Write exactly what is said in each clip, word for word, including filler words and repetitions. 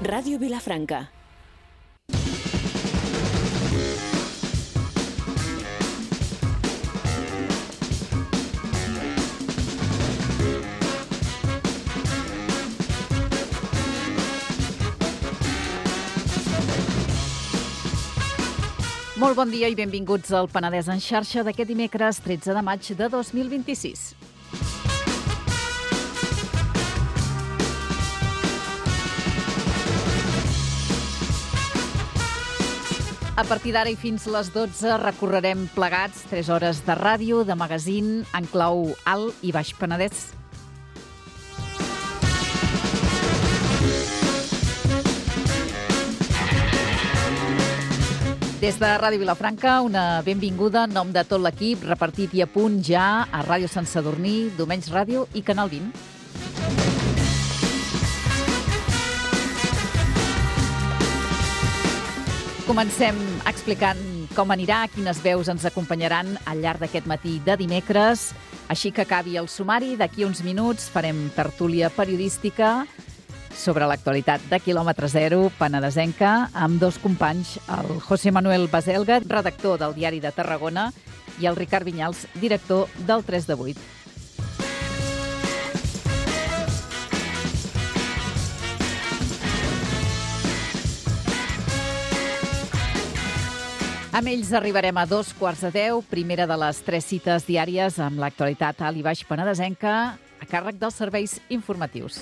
Ràdio Vilafranca. Molt bon dia i benvinguts al Penedès en xarxa d'aquest dimecres tretze de maig de dos mil vint-i-sis. A partir d'ara i fins les dotze recorrerem plegats tres hores de ràdio, de magazín, en clau Alt i Baix Penedès. Des de Ràdio Vilafranca, una benvinguda en nom de tot l'equip, repartit i a punt ja a Ràdio Sant Sadurní, Domenys Ràdio i Canal vint. Comencem explicant com anirà, quines veus ens acompanyaran al llarg d'aquest matí de dimecres. Així que acabi el sumari, d'aquí uns minuts farem tertúlia periodística sobre l'actualitat de Quilòmetre Zero, penedesenca, amb dos companys, el José Manuel Baselga, redactor del Diari de Tarragona, i el Ricard Vinyals, director del tres de vuit. Amb ells arribarem a dos quarts de deu, primera de les tres cites diàries amb l'actualitat alt i baix penedesenca, a càrrec dels serveis informatius.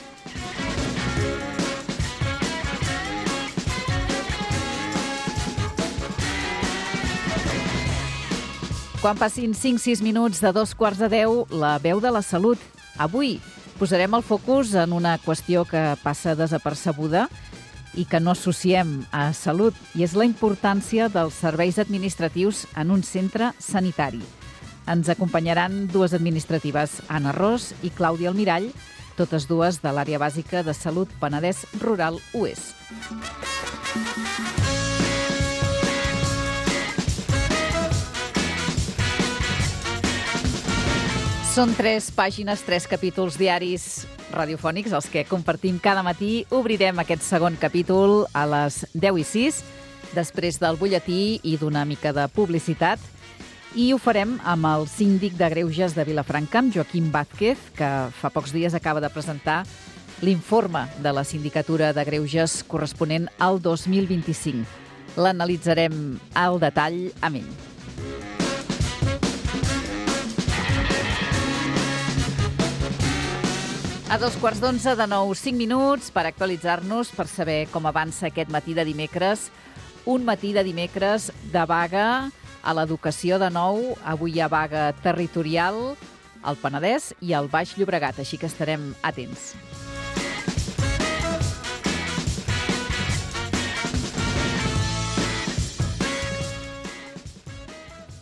Quan passin cinc sis minuts de dos quarts de deu, la veu de la salut. Avui posarem el focus en una qüestió que passa desapercebuda i que no associem a salut, i és la importància dels serveis administratius en un centre sanitari. Ens acompanyaran dues administratives, Anna Ros i Clàudia Almirall, totes dues de l'àrea bàsica de salut Penedès Rural U E S. Són tres pàgines, tres capítols diaris radiofònics, els que compartim cada matí. Obrirem aquest segon capítol a les deu i sis, després del butlletí i d'una mica de publicitat. I ho farem amb el síndic de Greuges de Vilafranca, Joaquim Vázquez, que fa pocs dies acaba de presentar l'informe de la Sindicatura de Greuges corresponent al dos mil vint-i-cinc. L'analitzarem al detall amb ell. A dos quarts d'onze, de nou, cinc minuts per actualitzar-nos, per saber com avança aquest matí de dimecres. Un matí de dimecres de vaga a l'educació de nou. Avui hi ha vaga territorial al Penedès i al Baix Llobregat, així que estarem atents.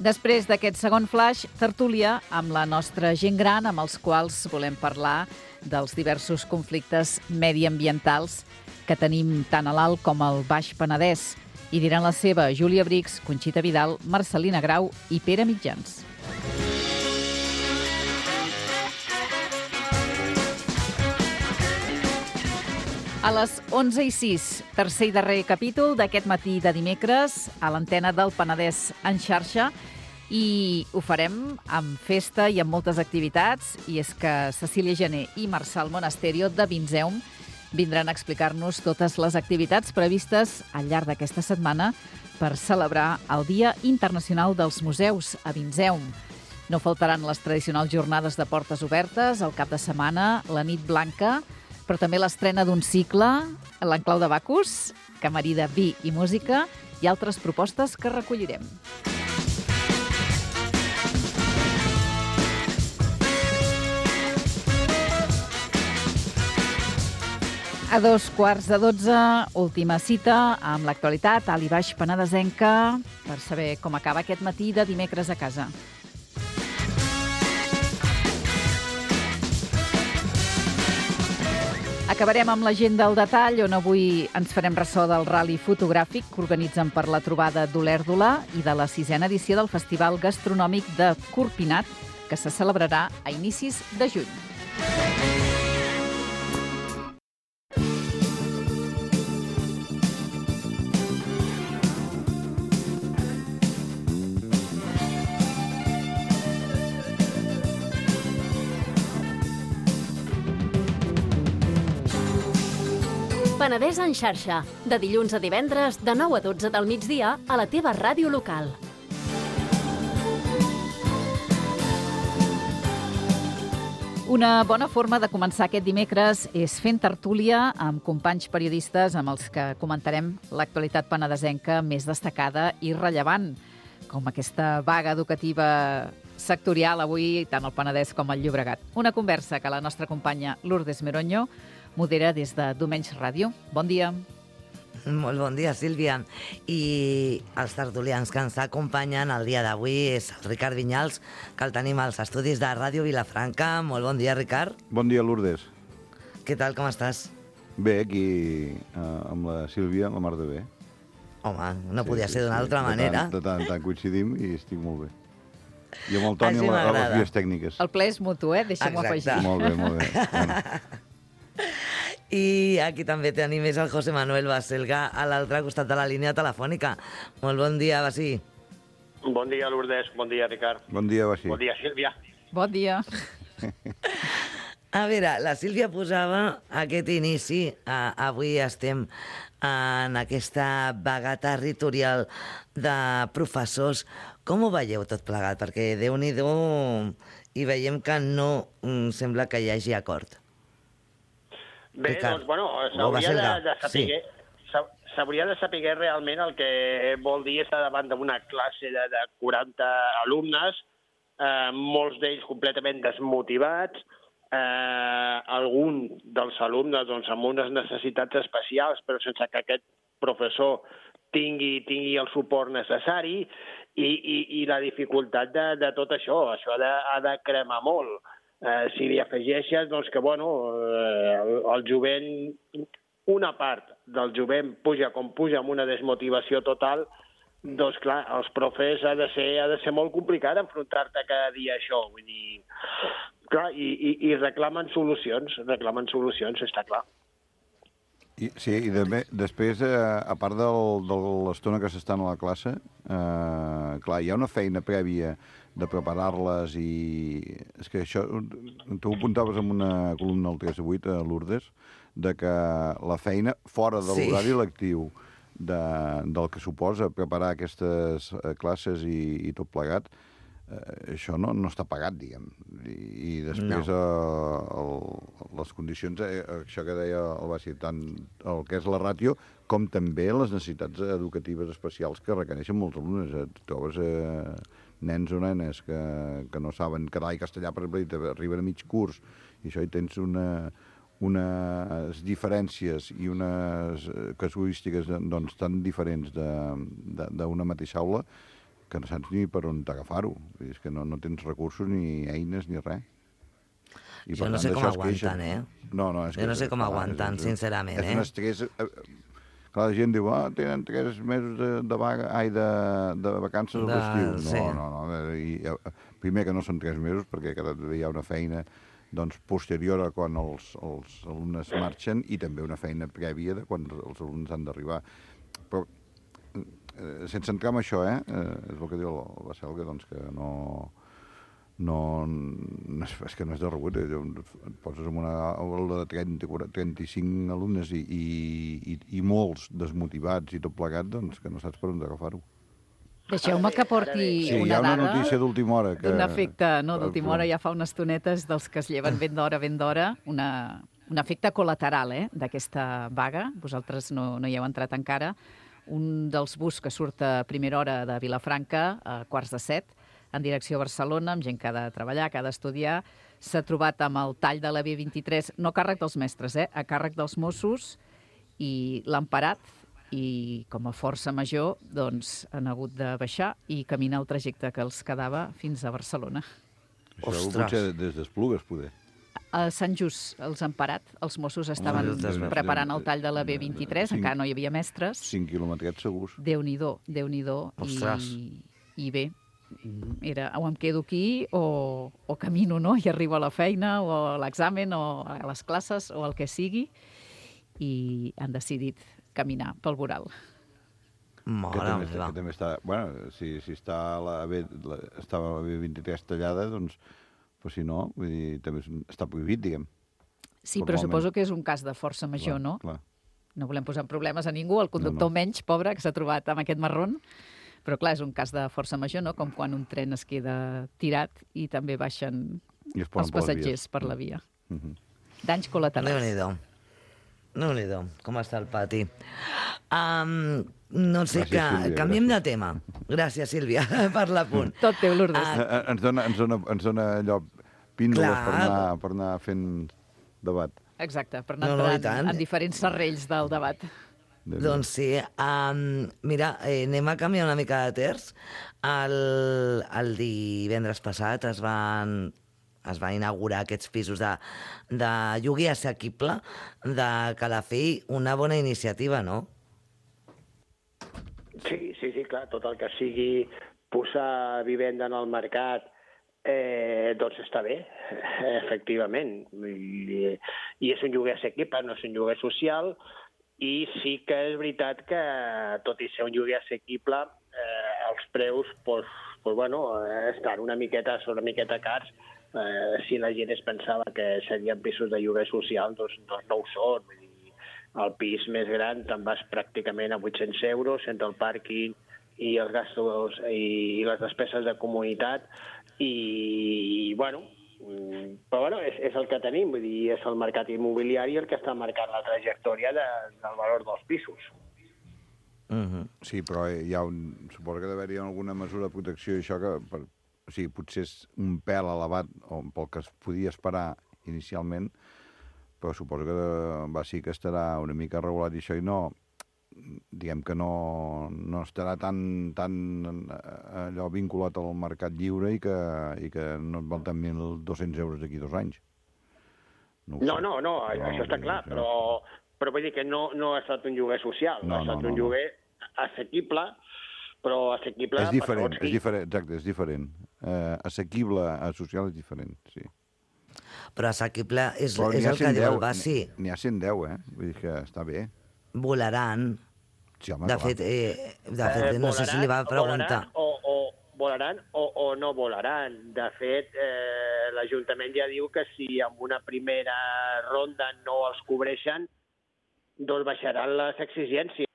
Després d'aquest segon flash, tertúlia amb la nostra gent gran, amb els quals volem parlar dels diversos conflictes mediambientals que tenim tant a l'Alt com al Baix Penedès. I diran la seva Júlia Brix, Conxita Vidal, Marcelina Grau i Pere Mitjans. A les onze i sis, tercer i darrer capítol d'aquest matí de dimecres a l'antena del Penedès en xarxa, i ho farem amb festa i amb moltes activitats, i és que Cecília Gené i Marçal Monasterio de Vinzeum vindran a explicar-nos totes les activitats previstes al llarg d'aquesta setmana per celebrar el Dia Internacional dels Museus a Vinzeum. No faltaran les tradicionals jornades de portes obertes, el cap de setmana, la nit blanca, però també l'estrena d'un cicle, l'Enclau de Bacus, que marida vi i música, i altres propostes que recollirem. A dos quarts de dotze, última cita amb l'actualitat alt i baix penedesenca per saber com acaba aquest matí de dimecres a casa. Acabarem amb l'agenda al detall, on avui ens farem ressò del rally fotogràfic que organitzen per la trobada d'Olèrdola i de la sisena edició del Festival Gastronòmic de Corpinat, que se celebrarà a inicis de juny. Penedès en xarxa, de dilluns a divendres, de nou a dotze del migdia, a la teva ràdio local. Una bona forma de començar aquest dimecres és fent tertúlia amb companys periodistes amb els que comentarem l'actualitat penedesenca més destacada i rellevant, com aquesta vaga educativa sectorial avui, tant al Penedès com al Llobregat. Una conversa que la nostra companya Lourdes Meroño modera des de Domenys Ràdio. Bon dia. Molt bon dia, Sílvia. I els tertulians que ens acompanyen el dia d'avui és el Ricard Vinyals, que el tenim als estudis de Ràdio Vilafranca. Molt bon dia, Ricard. Bon dia, Lourdes. Què tal, com estàs? Bé, aquí eh, amb la Sílvia, la mar de bé. Home, no sí, podia sí, ser d'una sí. altra de manera. Tant, de tant, tant coincidim i estic molt bé. I amb el Toni Així a, la, a les m'agrada. vies tècniques. El ple és mutu, eh? Deixem-ho Exacte. afegir. Molt bé, molt bé. Bueno. I aquí també tenim és el José Manuel Baselga a l'altre costat de la línia telefònica. Molt bon dia, Basí. Bon dia, Lourdes. Bon dia, Ricard. Bon dia, Basí. Bon dia, Sílvia. Bon dia. A veure, la Sílvia posava aquest inici. Uh, avui estem en aquesta vaga territorial de professors. Com ho veieu tot plegat? Perquè Déu-n'hi-do i veiem que no mm, sembla que hi hagi acord. Bé, Ricard, doncs, bueno, o s'hauria de, Baselga, de saber... Sí. S'hauria de saber realment el que vol dir estar davant d'una classe de, de quaranta alumnes, eh, molts d'ells completament desmotivats, eh, algun dels alumnes doncs, amb unes necessitats especials, però sense que aquest professor tingui, tingui el suport necessari, i, i, i la dificultat de, de tot això. Això ha de, ha de cremar molt. Eh, si li afegeixes doncs, que bueno, eh, el, el jovent, una part del jovent puja com puja amb una desmotivació total, doncs clar, els profes ha de ser, ha de ser molt complicat enfrontar-te cada dia a això. Vull dir, clar, i, i, i reclamen solucions, reclamen solucions, està clar. I, sí, i de, després, eh, a part del, de l'estona que s'estan a la classe, eh, clar, hi ha una feina prèvia de preparar-les i... És que això... Tu ho apuntaves en una columna del tres a vuit, a Lourdes, de que la feina fora de l'horari sí. lectiu de, del que suposa preparar aquestes classes i, i tot plegat, eh, això no, no està pagat, diguem. I, i després no. eh, el, les condicions, eh, això que deia el Basi, tant el que és la ràtio, com també les necessitats educatives especials que requereixen molts alumnes. Et trobes eh, nens o nenes que, que no saben català i castellà, per exemple, arriben a mig curs, i això hi tens una, unes diferències i unes casuístiques doncs, tan diferents d'una mateixa aula que no saps ni per on t'agafar-ho. És que no, no tens recursos, ni eines, ni res. I jo no sé com aguanten, eh? No, no, és jo que, no sé com clar, aguanten, és, sincerament, és eh? un estrès... Clar, la gent diu, ah, tenen tres mesos de, de vaga, ai, de, de vacances al l'estiu. No, sí. no, no. I, primer que no són tres mesos, perquè cada dia hi ha una feina doncs, posterior a quan els, els alumnes marxen i també una feina prèvia de quan els alumnes han d'arribar. Però, eh, sense entrar en això, eh, eh, és el que diu el Baselga, doncs que no... no, no és, és que no és de rebut, eh? Et poses en una aula de trenta, quaranta, trenta-cinc alumnes i, i, i molts desmotivats i tot plegat, doncs que no saps per on agafar-ho. Deixeu-me que porti sí, una dada. Hi ha una notícia d'última hora. Que... D'un efecte, no, d'última hora ja fa unes tonetes dels que es lleven ben d'hora, ben d'hora, una, un efecte col·lateral eh, d'aquesta vaga. Vosaltres no, no hi heu entrat encara. Un dels bus que surt a primera hora de Vilafranca, a quarts de set, en direcció a Barcelona, amb gent que ha de treballar, que ha d'estudiar, s'ha trobat amb el tall de la B vint-i-tres, no a càrrec dels mestres, eh, a càrrec dels Mossos, i l'han parat, i com a força major doncs, han hagut de baixar i caminar el trajecte que els quedava fins a Barcelona. Això Ostres. Potser des d'Esplugues, poder. A Sant Just els han parat. Els Mossos estaven oh, preparant el tall de la B vint-i-tres, cinc, encara no hi havia mestres. Cinc quilòmetres segurs. Déu-n'hi-do, Déu-n'hi-do. I, I bé, era o em quedo aquí o, o camino, no? I arribo a la feina o a l'examen o a les classes o el que sigui, i han decidit caminar pel voral. Mare que també, meva. Que també està, bueno, si, si està la B, la, estava la B vint-i-tres tallada, doncs, però si no, vull dir, també està prohibit, diguem. Sí, però suposo que és un cas de força major, clar, no? Clar. no volem posar en problemes a ningú, el conductor No, no. menys, pobre, que s'ha trobat amb aquest marron, però clar, és un cas de força major, no? Com quan un tren es queda tirat i també baixen I es ponen els per les passatgers vies. per la via. Mhm. Danys col·laterals. Déu-n'hi-do. Déu-n'hi-do, com està el pati. Um, no sé, Gràcies, que Sílvia, canviem gràcies. de tema. Gràcies, Sílvia, per l'apunt. Tot teu, Lourdes. Ah, Eh, eh, Ens dona, ens dona, ens dona allò píndoles Clar. per anar, per anar fent debat. Exacte, per anar No, no, i entrant tant. en diferents serrells del debat. Doncs sí. Um, mira, eh, anem a canviar una mica de terç. El, el divendres passat es van, es van inaugurar aquests pisos de, de lloguer assequible de Calafell, una bona iniciativa, no? Sí, sí, sí, clar, tot el que sigui posar vivenda en el mercat eh, doncs està bé, efectivament. I, I és un lloguer assequible, no és un lloguer social, i sí que és veritat que, tot i ser un lloguer assequible, eh, els preus pues, pues, bueno, eh, estan una miqueta, són una miqueta cars. Eh, si la gent es pensava que serien pisos de lloguer social, doncs, doncs no ho són. Vull dir, el pis més gran te'n vas pràcticament a vuit-cents euros entre el pàrquing i els gastos i, i les despeses de comunitat i, i bueno, però bueno, és, és el que tenim, vull dir, és el mercat immobiliari el que està marcant la trajectòria de, del valor dels pisos. Uh-huh. Sí, però hi ha un... Suposo que d'haver-hi alguna mesura de protecció i això que... Per, o sigui, potser és un pèl elevat o pel que es podia esperar inicialment, però suposo que va sí que estarà una mica regulat i això i no... diguem que no, no estarà tan, tan allò vinculat al mercat lliure i que, i que no et val tant mil dos-cents euros d'aquí dos anys. No, no, no, no, això està clar, però, però vull dir que no, no ha estat un lloguer social, No, ha estat no, no, un no. lloguer assequible, però assequible... És diferent, per segons és qui. diferent, exacte, és diferent. Eh, assequible a social és diferent, sí. Però assequible és, Però és n'hi ha el que diu el cent deu, Bassi. N'hi ha cent deu, eh? Vull dir que està bé. Volaran. Sí, home, De clar. fet, eh, de fet Eh, no sé si li va preguntar... Volaran o, o, volaran o, o no volaran. De fet, eh, l'Ajuntament ja diu que si en una primera ronda no els cobreixen, doncs baixaran les exigències.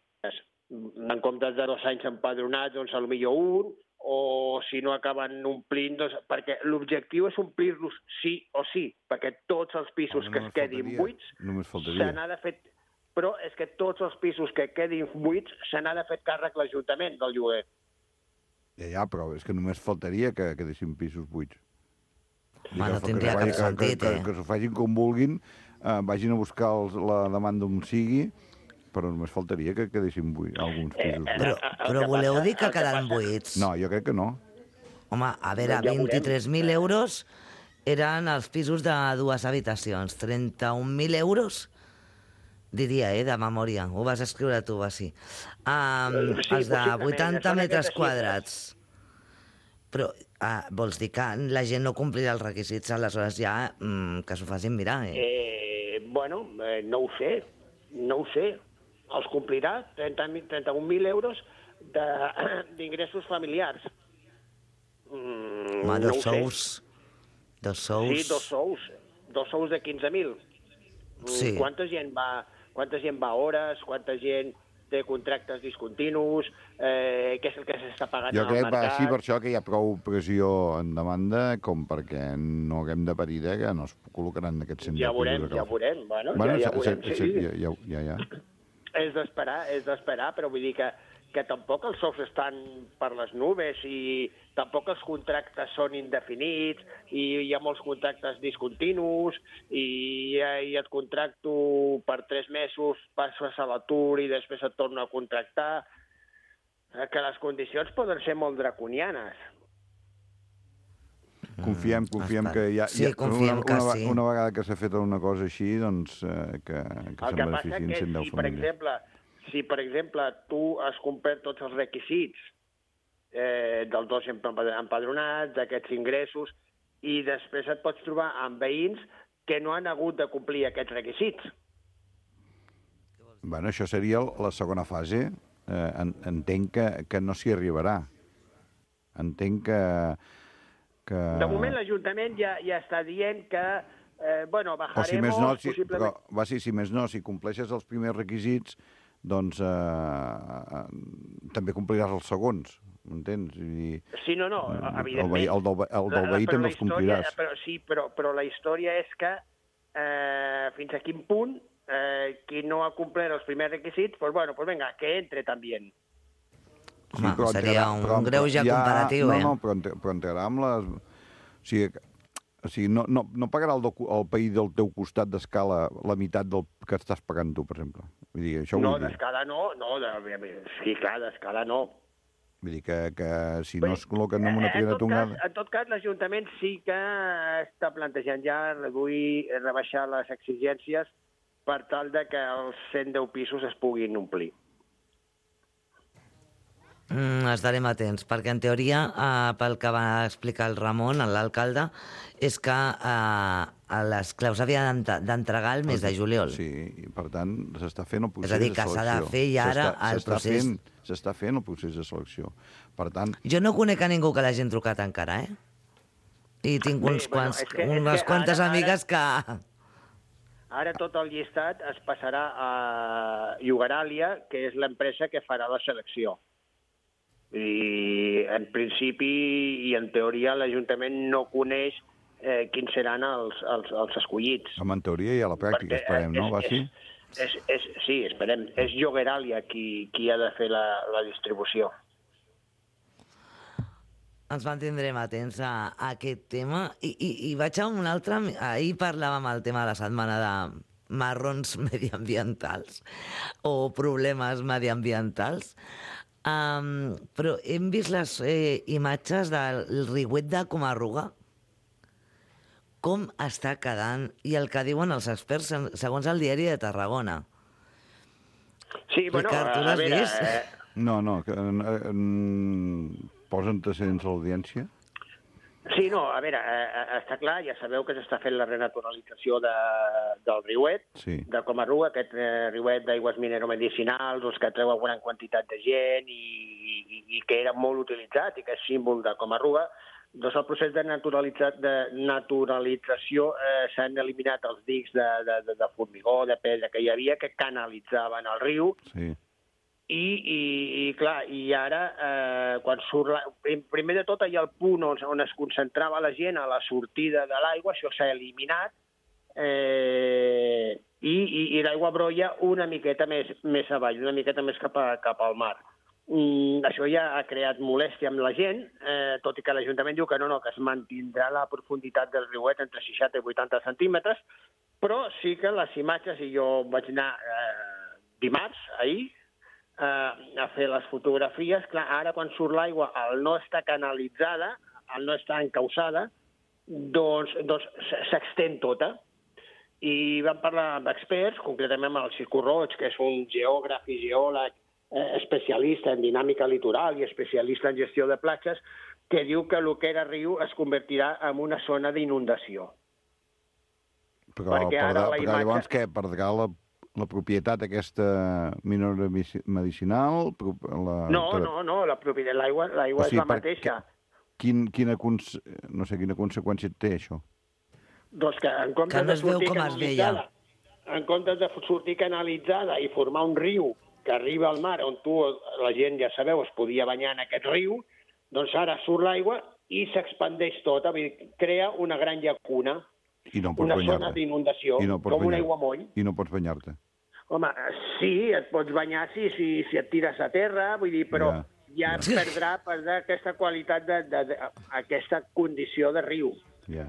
En comptes de dos anys empadronats, doncs potser un, o si no acaben omplint, doncs, perquè l'objectiu és omplir-los sí o sí, perquè tots els pisos Home, que es només quedin faltaria, buits només se faltaria. n'ha de fer... Però és que tots els pisos que quedin buits se n'ha de fer càrrec l'Ajuntament del lloguer. Ja, ja, però és que només faltaria que quedessin pisos buits. I Home, no que- tindria que, cap que, sentit, que, eh? que, que s'ho facin com vulguin, eh, vagin a buscar els, la demanda on sigui, però només faltaria que quedessin buits, alguns pisos buits. Però, el però que voleu passa- dir que el que quedaran passa- buits? No, jo crec que no. Home, a veure, Doncs ja veurem. vint-i-tres mil euros eren els pisos de dues habitacions. trenta-un mil euros, diria, eh, de memòria. Ho vas escriure tu, Bassi. Um, Sí, els de possiblement, vuitanta són metres aquestes quadrats. Però ah, vols dir que la gent no complirà els requisits, aleshores ja mm, que s'ho facin mirar, eh? Eh, bueno, eh, no ho sé, no ho sé. Els complirà trenta-un mil euros de- d'ingressos familiars. Mm, Home, no dos ho sé. sous. Dos sous. Sí, dos sous. Dos sous de quinze mil. Sí. Quanta gent va, quanta gent va a hores, quanta gent té contractes discontinus, eh, què és el que s'està pagant Jo en el crec que va mercat. així per això que hi ha prou pressió en demanda com perquè no haguem de parir de que no es col·locaran aquests cent Ja deu veurem, pisos a ja Calafell. veurem. Bueno, Bueno, ja, ja se- veurem, se- sí. se- ja, ja, ja, ja. És d'esperar, és d'esperar, però vull dir que, que tampoc els sous estan per les nubes i tampoc els contractes són indefinits i hi ha molts contractes discontinus i, i et contracto per tres mesos, passes a l'atur i després et torno a contractar, eh, que les condicions poden ser molt draconianes. Confiem, confiem Espera. que ja, Sí, ja confiem una, que una, sí. una vegada que s'ha fet una cosa així, doncs eh, que, que El se'n que passa beneficien que cent deu si, per famílies. exemple, si, per exemple, tu has complert tots els requisits eh, dels dos empadronats, d'aquests ingressos, i després et pots trobar amb veïns que no han hagut de complir aquests requisits. Bueno, això seria la segona fase. Eh, en, entenc que, que no s'hi arribarà. Entenc que... que... De moment l'Ajuntament ja, ja està dient que Eh, bueno, o si més bajaremos no, si, possiblement... però, va, sí, si més no, si compleixes els primers requisits, doncs eh, eh, també compliràs els segons, m'entens? Vull dir, Sí, no, no, el, evidentment. veí, el, del, el del La- la- veí però també la els compliràs. història- Però, sí, però, però la història és que eh, fins a quin punt eh, qui no ha complert els primers requisits, pues bueno, pues venga, que entre també. Home, però seria entrarà- un però- greuge ja- comparatiu, no, eh? No, però, ent- però entrarà amb les... O sigui, o sigui no, no, no pagarà el, docu- el país del teu costat d'escala la meitat del que estàs pagant tu, per exemple. Vull dir, això No, vull dir. d'escala no, no, de, sí, clar, d'escala no. Vull dir que, que si no es col·loquen en una Eh, primera tot tongada... cas, en tot cas, l'Ajuntament sí que està plantejant ja reduir, rebaixar les exigències per tal de que els cent deu pisos es puguin omplir. Mm, estarem atents, perquè en teoria, eh, pel que va explicar el Ramon, l'alcalde, és que eh, les claus havien d'entregar el mes de juliol. Sí, i per tant s'està fent el procés És a dir, de que selecció. s'ha de fer i ara S'està- el s'està procés- fent- S'està fent el procés de selecció. Per tant, Jo no conec a ningú que l'hagi trucat encara, eh? I tinc Bé, uns bueno, quants, és que- és unes que quantes ara- amigues que... Ara tot el llistat es passarà a Llogaràlia, que és l'empresa que farà la selecció. I en principi i en teoria l'Ajuntament no coneix eh, quins seran els, els, els escollits. amb en teoria i a la pràctica, Perquè, esperem, no? és- Va, sí? És, és, és, sí, esperem. És Llogaràlia qui, qui ha de fer la, la distribució. Ens mantindrem atents a, a aquest tema. I, i, I vaig a un altre... Ahir parlàvem el tema de la setmana de marrons mediambientals o problemes mediambientals, um, però hem vist les eh, imatges del riuet de Comarruga, com està quedant, i el que diuen els experts en- segons el diari de Tarragona. Sí, bueno, Ricard, tu a, a l'has veure... vist? Eh, No, no, que, eh, eh, posa antecedents a l'audiència. sí, no, a veure, eh, eh, està clar, ja sabeu que s'està fent la renaturalització de, del riuet, Sí. de Comarruga, aquest eh, riuet d'aigües mineromedicinals, doncs, que treu una gran quantitat de gent i, i, i que era molt utilitzat i que és símbol de Comarruga. Doncs el procés de, naturalitzat, de naturalització eh, s'han eliminat els dics de, de, de, de formigó, de pedra que hi havia, que canalitzaven el riu, Sí. i, i, i clar, i ara, eh, quan surt la... primer de tot, hi ha el punt on, on es concentrava la gent a la sortida de l'aigua, això s'ha eliminat, eh, i, i, i l'aigua brolla una miqueta més, més avall, una miqueta més cap, a, cap al mar. Mm, això ja ha creat molèstia amb la gent, eh, tot i que l'Ajuntament diu que no, no, que es mantindrà la profunditat del riuet entre seixanta i vuitanta centímetres, però sí que les imatges, i jo vaig anar eh, dimarts, ahir, a fer les fotografies. Clar, ara quan surt l'aigua, al no estar canalitzada, al no estar encausada, doncs, doncs s'extén tota. I vam parlar amb experts, concretament amb el Circo Roig, que és un geògraf i geòleg eh, especialista en dinàmica litoral i especialista en gestió de platges, que diu que el que era riu es convertirà en una zona d'inundació. Però, Perquè per, ara la però imatge- llavors què? Perdrà la, la propietat aquesta mineromedicinal? La, No, no, no, la propietat, l'aigua l'aigua O sigui, és la per- mateixa. Quin, quina, cons... no sé, quina conseqüència té això? Doncs que en comptes Que no de es veu sortir com es veia. canalitzada, en comptes de sortir canalitzada i formar un riu que arriba al mar, on tu, la gent, ja sabeu, es podia banyar en aquest riu, doncs ara surt l'aigua i s'expandeix tota, vull dir, crea una gran llacuna, I no pots una zona banyar-te. d'inundació, I no pots com un banyar- aiguamoll. I no pots banyar-te. Home, sí, et pots banyar si, si, si et tires a terra, vull dir, però Ja. ja, ja perdrà, perdrà aquesta qualitat, de, de, de, aquesta condició de riu. Ja.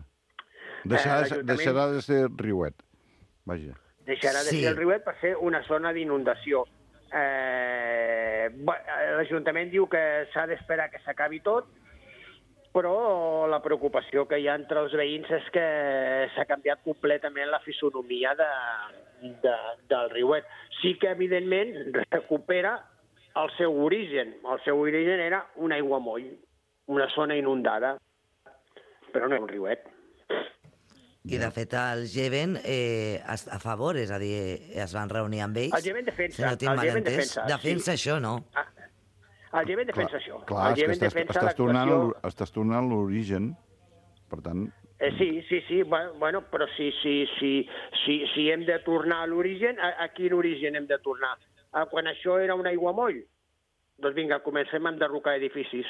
Deixarà, Eh, de, l'Ajuntament- deixarà de ser riuet. Vaja. Deixarà de Sí. ser el riuet per ser una zona d'inundació. Eh, bé, L'Ajuntament diu que s'ha d'esperar que s'acabi tot, però la preocupació que hi ha entre els veïns és que s'ha canviat completament la fisonomia de, de, del riuet. Sí que, evidentment, recupera el seu origen. El seu origen era un aiguamoll, una zona inundada, però no és un riuet. I, de fet, el Geven eh, a favor, és a dir, es van reunir amb ells. El Geven defensa, Si no tinc el mal Geven entès, defensa, defensa sí. això, no? Ah, el Geven defensa això. Clar, el és que Geven estàs, defensa estàs, tornant, l'actuació... a l'or- estàs tornant a l'origen, per tant, Eh, sí, sí, sí, bueno, però si, si, si, si, si hem de tornar a l'origen, a, a quin origen hem de tornar? A quan això era un aiguamoll? Doncs vinga, comencem a enderrocar edificis.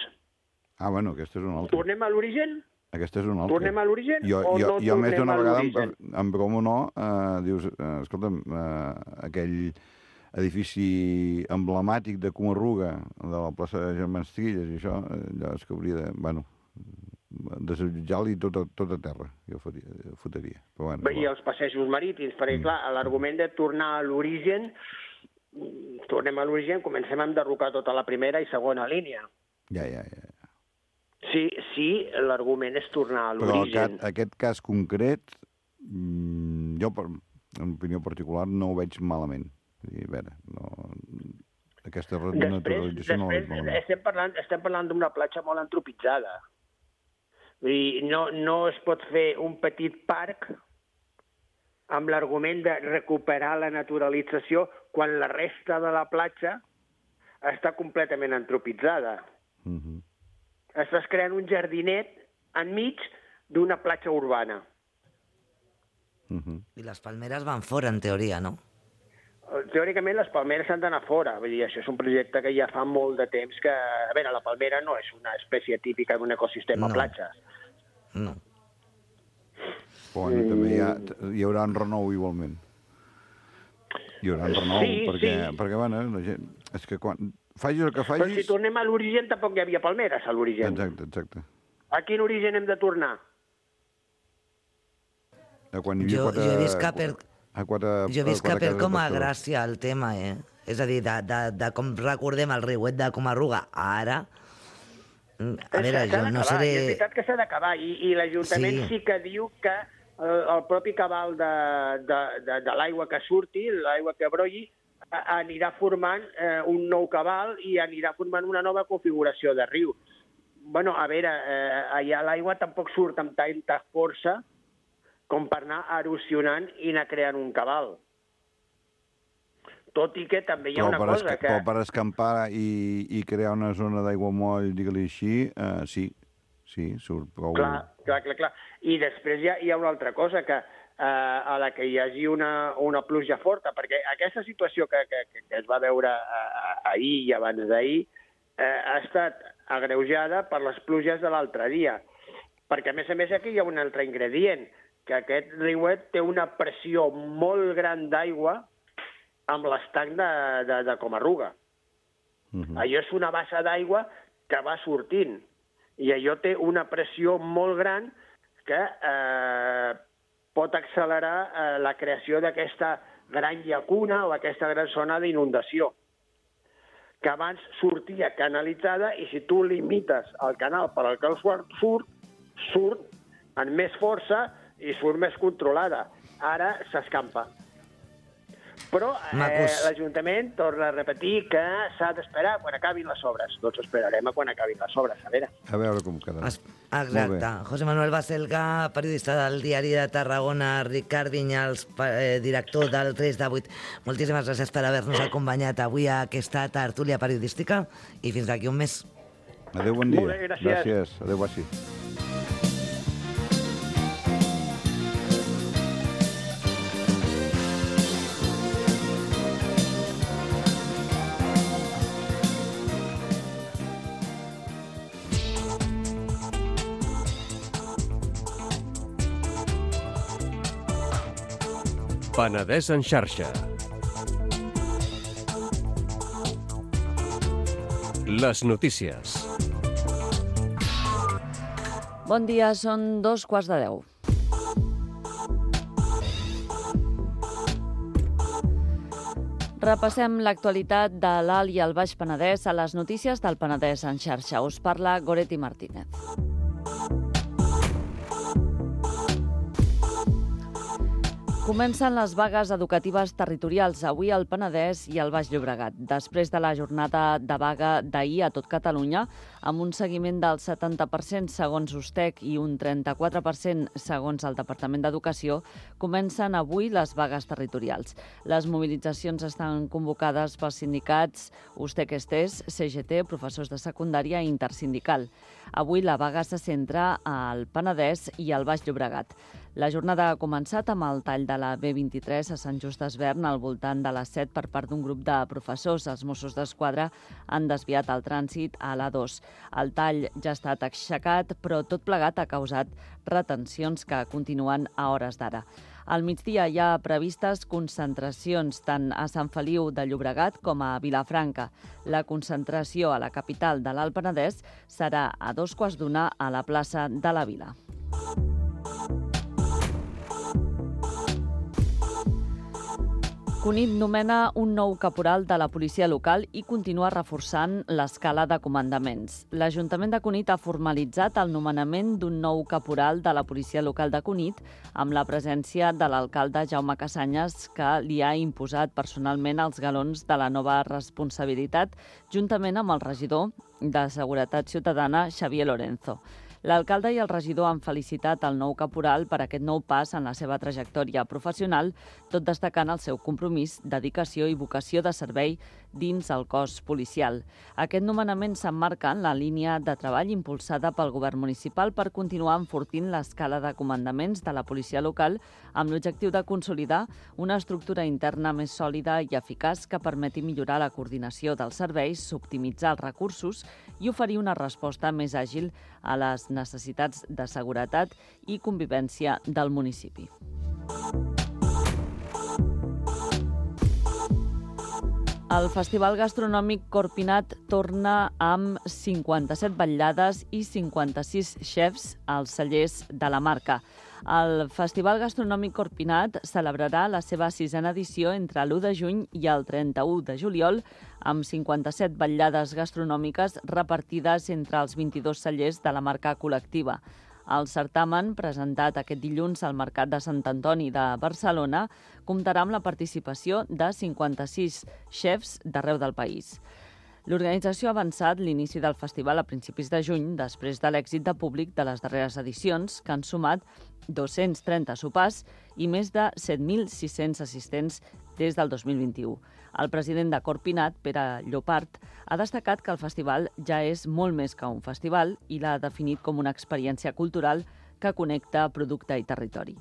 Ah, bueno, aquest és un altre. Tornem a l'origen? Aquest és un altre. Tornem a l'origen jo, o jo, no jo més tornem d'una a vegada, l'origen? en, en broma o no, eh, dius, eh, escolta'm, eh, aquell edifici emblemàtic de Comarruga, de la plaça de Germans Trilles i això, allò és que hauria de... Bueno, desallotjar-li tot, a- tot a terra, jo faria, fotria. Però bueno, Bé, I els passejos marítims, perquè, Mm. clar, l'argument de tornar a l'origen, mm, tornem a l'origen, comencem a enderrocar tota la primera i segona línia. Ja, ja, ja. Sí, sí, l'argument és tornar a Però l'origen. aquest, aquest cas concret, mm, jo, per, en opinió particular, no ho veig malament. Vull dir, a veure, no, aquesta Després, renaturalització no la veig després malament. estem parlant, estem parlant d'una platja molt antropitzada. Vull dir, no, no es pot fer un petit parc amb l'argument de recuperar la naturalització quan la resta de la platja està completament antropitzada. Uh -huh. Estàs creant un jardinet enmig d'una platja urbana. Uh -huh. I les palmeres van fora, en teoria, no? Teòricament, les palmeres han d'anar fora. Vull dir, això és un projecte que ja fa molt de temps que... A veure, la palmera no és una espècie típica d'un ecosistema No. platja. No. Però bueno, també hi, ha, hi haurà un renou igualment. Hi haurà un renou, Sí, perquè, sí. perquè bueno, la gent, és que quan facis el que Però si facis... tornem a l'origen, tampoc hi havia palmeres a l'origen. Exacte, exacte. A quin origen hem de tornar? De quan hi havia Jo, quatre... jo he vist que per, a quatre, jo he vist que quatre per cases com a de pescadors. gràcia el tema, eh? És a dir, de, de, de com recordem el riuet de Comarruga ara... mm, A veure, S'ha jo no d'acabar, seré... i És veritat que s'ha d'acabar, i, i l'Ajuntament Sí. sí. sí que diu que el, el propi cabal de, de, de, de l'aigua que surti, l'aigua que brolli, a- anirà formant eh, un nou cabal i anirà formant una nova configuració de riu. Bueno, a veure, eh, allà l'aigua tampoc surt amb tanta força com per anar erosionant i anar creant un cabal. Tot i que també hi ha Però una per, cosa esca que... però per escampar i, i crear una zona d'aiguamoll, digue-li així, eh, sí, sí, surt prou... Clar, clar, clar, clar. I després hi ha, hi ha una altra cosa, que eh, a la que hi hagi una, una pluja forta, perquè aquesta situació que, que, que es va veure eh, ahir i abans d'ahir eh, ha estat agreujada per les pluges de l'altre dia. Perquè, a més a més, aquí hi ha un altre ingredient, que aquest riuet té una pressió molt gran d'aigua amb l'estanc de, de, de Comarruga. Uh -huh. Allò és una bassa d'aigua que va sortint, i allò té una pressió molt gran que eh, pot accelerar eh, la creació d'aquesta gran llacuna o aquesta gran zona d'inundació, que abans sortia canalitzada, i si tu limites el canal per al que el surt, surt, surt amb més força i surt més controlada. Ara s'escampa. Però eh, Macos. l'Ajuntament torna a repetir que s'ha d'esperar quan acabin les obres. Doncs esperarem a quan acabin les obres, a veure. A veure com quedarà. Es- Exacte. José Manuel Baselga, periodista del Diari de Tarragona, Ricard Vinyals, pa- eh, director del tres de vuit. Moltíssimes gràcies per haver-nos acompanyat avui a aquesta tertúlia periodística i fins d'aquí un mes. Adéu, bon dia. Molt bé, gràcies. Gràcies. Adéu, Bassi. Penedès en xarxa. Les notícies. Bon dia, són dos quarts de deu. Repassem l'actualitat de l'Alt i el Baix Penedès a les notícies del Penedès en xarxa. Us parla Goretti Martínez. Comencen les vagues educatives territorials avui al Penedès i al Baix Llobregat. Després de la jornada de vaga d'ahir a tot Catalunya, amb un seguiment del setanta per cent segons USTEC i un trenta-quatre per cent segons el Departament d'Educació, comencen avui les vagues territorials. Les mobilitzacions estan convocades pels sindicats USTEC-Estés, C G T, professors de secundària i intersindical. Avui la vaga se centra al Penedès i al Baix Llobregat. La jornada ha començat amb el tall de la B vint-i-tres a Sant Just Desvern al voltant de les set per part d'un grup de professors. Els Mossos d'Esquadra han desviat el trànsit a l'A dos. El tall ja ha estat aixecat, però tot plegat ha causat retencions que continuen a hores d'ara. Al migdia hi ha previstes concentracions tant a Sant Feliu de Llobregat com a Vilafranca. La concentració a la capital de l'Alt Penedès serà a dos quarts d'una a la plaça de la Vila. Cunit nomena un nou caporal de la policia local i continua reforçant l'escala de comandaments. L'Ajuntament de Cunit ha formalitzat el nomenament d'un nou caporal de la policia local de Cunit amb la presència de l'alcalde Jaume Casanyes, que li ha imposat personalment els galons de la nova responsabilitat, juntament amb el regidor de Seguretat Ciutadana, Xavier Lorenzo. L'alcalde i el regidor han felicitat el nou caporal per aquest nou pas en la seva trajectòria professional, tot destacant el seu compromís, dedicació i vocació de servei dins el cos policial. Aquest nomenament s'emmarca en la línia de treball impulsada pel govern municipal per continuar enfortint l'escala de comandaments de la policia local amb l'objectiu de consolidar una estructura interna més sòlida i eficaç que permeti millorar la coordinació dels serveis, optimitzar els recursos i oferir una resposta més àgil a les necessitats de seguretat i convivència del municipi. El Festival Gastronòmic Corpinat torna amb cinquanta-set vetllades i cinquanta-sis xefs als cellers de la marca. El Festival Gastronòmic Corpinat celebrarà la seva sisena edició entre l'u de juny i el trenta-u de juliol amb cinquanta-set vetllades gastronòmiques repartides entre els vint-i-dos cellers de la marca col·lectiva. El certamen, presentat aquest dilluns al Mercat de Sant Antoni de Barcelona, comptarà amb la participació de cinquanta-sis xefs d'arreu del país. L'organització ha avançat l'inici del festival a principis de juny, després de l'èxit de públic de les darreres edicions, que han sumat dos-cents trenta sopars i més de set mil sis-cents assistents des del dos mil vint-i-u. El president de Corpinat, Pere Llopart, ha destacat que el festival ja és molt més que un festival i l'ha definit com una experiència cultural que connecta producte i territori.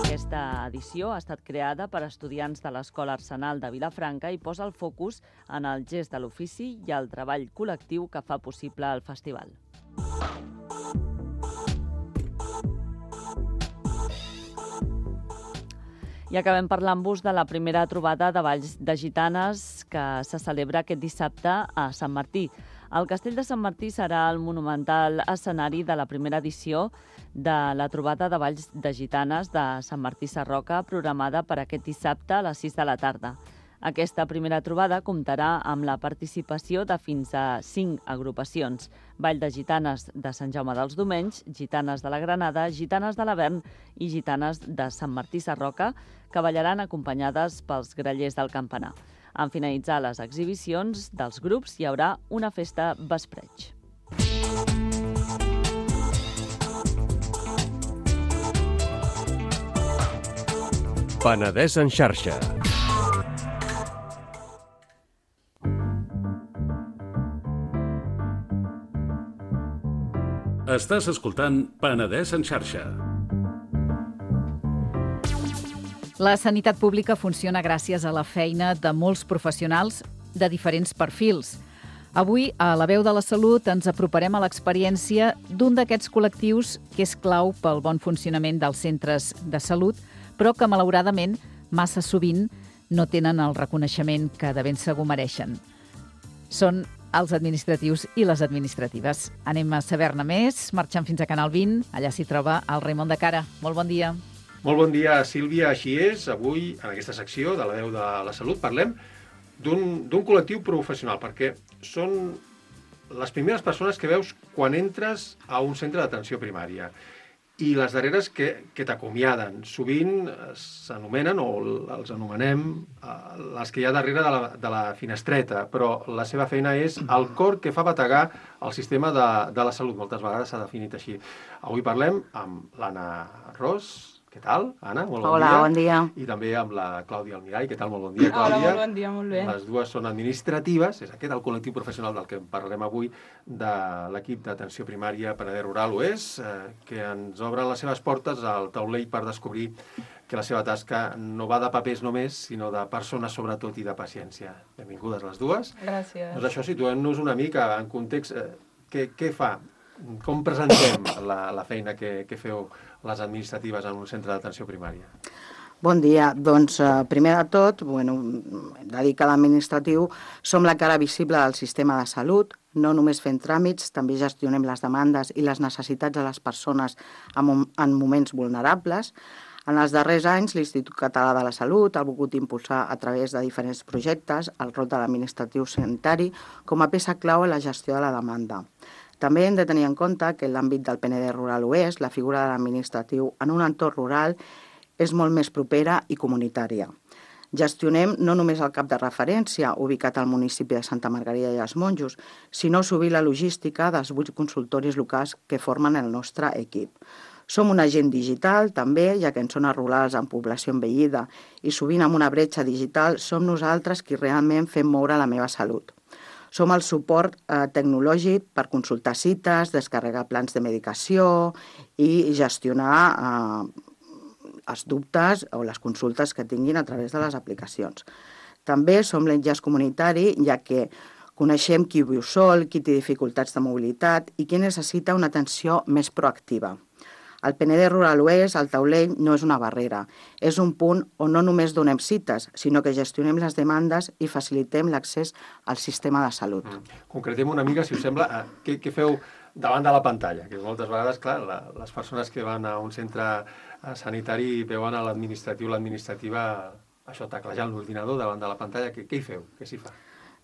Aquesta edició ha estat creada per estudiants de l'Escola Arsenal de Vilafranca i posa el focus en el gest de l'ofici i el treball col·lectiu que fa possible el festival. I acabem parlant-vos de la primera trobada de balls de gitanes que se celebra aquest dissabte a Sant Martí. El Castell de Sant Martí serà el monumental escenari de la primera edició de la trobada de balls de gitanes de Sant Martí Sarroca, programada per aquest dissabte a les sis de la tarda. Aquesta primera trobada comptarà amb la participació de fins a cinc agrupacions: Ball de Gitanes de Sant Jaume dels Domenys, Gitanes de la Granada, Gitanes de l'Avern i Gitanes de Sant Martí Sarroca, que ballaran acompanyades pels grallers del campanar. En finalitzar les exhibicions dels grups hi haurà una festa vespreig. Penedès en xarxa. Estàs escoltant Penedès en xarxa. La sanitat pública funciona gràcies a la feina de molts professionals de diferents perfils. Avui, a La Veu de la Salut, ens aproparem a l'experiència d'un d'aquests col·lectius que és clau pel bon funcionament dels centres de salut, però que, malauradament, massa sovint no tenen el reconeixement que de ben segur mereixen. Són els administratius i les administratives. Anem a saber-ne més, marxant fins a Canal vint. Allà s'hi troba el Raimon de Cara. Molt bon dia. Molt bon dia, Sílvia. Així és. Avui, en aquesta secció de La Veu de la Salut, parlem d'un col·lectiu professional, perquè són les primeres persones que veus quan entres a un centre d'atenció primària. i les darreres que, que t'acomiaden. Sovint s'anomenen, o els anomenem, les que hi ha darrere de la, de la finestreta, però la seva feina és el cor que fa bategar el sistema de, de la salut. Moltes vegades s'ha definit així. Avui parlem amb l'Anna Ros. Què tal, Anna? Molt bon Hola, dia. bon dia. I també amb la Clàudia Almirall. Què tal? Molt bon dia, Clàudia. Hola, molt bon dia, molt bé. Les dues són administratives. És aquest el col·lectiu professional del que parlarem avui, de l'equip d'atenció primària Penedès Rural Oest, eh, que ens obren les seves portes al taulell per descobrir que la seva tasca no va de papers només, sinó de persones sobretot i de paciència. Benvingudes les dues. Gràcies. Doncs això, situem-nos una mica en context. Eh, què, què fa? Com presentem la, la feina que, que feu les administratives en un centre d'atenció primària? Bon dia. Doncs, eh, primer de tot, bueno, hem de dir que l'administratiu som la cara visible del sistema de salut, no només fent tràmits, també gestionem les demandes i les necessitats de les persones en, en moments vulnerables. En els darrers anys, l'Institut Català de la Salut ha volgut impulsar a través de diferents projectes el rol de l'administratiu sanitari com a peça clau en la gestió de la demanda. També hem de tenir en compte que en l'àmbit del Penedès Rural Oest, la figura de l'administratiu en un entorn rural és molt més propera i comunitària. Gestionem no només el cap de referència, ubicat al municipi de Santa Margarida i els Monjos, sinó sovint la logística dels vuit consultoris locals que formen el nostre equip. Som un agent digital, també, ja que en zones rurals amb població envellida i sovint amb una bretxa digital, som nosaltres qui realment fem moure la meva salut. Som el suport eh, tecnològic per consultar cites, descarregar plans de medicació i gestionar eh, els dubtes o les consultes que tinguin a través de les aplicacions. També som l'enllaç comunitari, ja que coneixem qui viu sol, qui té dificultats de mobilitat i qui necessita una atenció més proactiva. Al Penedès Rural Oest, el taulell no és una barrera, és un punt on no només donem cites, sinó que gestionem les demandes i facilitem l'accés al sistema de salut. Mm. Concretem una mica, si us sembla, eh, què, què feu davant de la pantalla, que moltes vegades, clar, la, les persones que van a un centre sanitari veuen a l'administratiu, l'administrativa, això, teclejant l'ordinador davant de la pantalla, què, què hi feu? Què s'hi fa?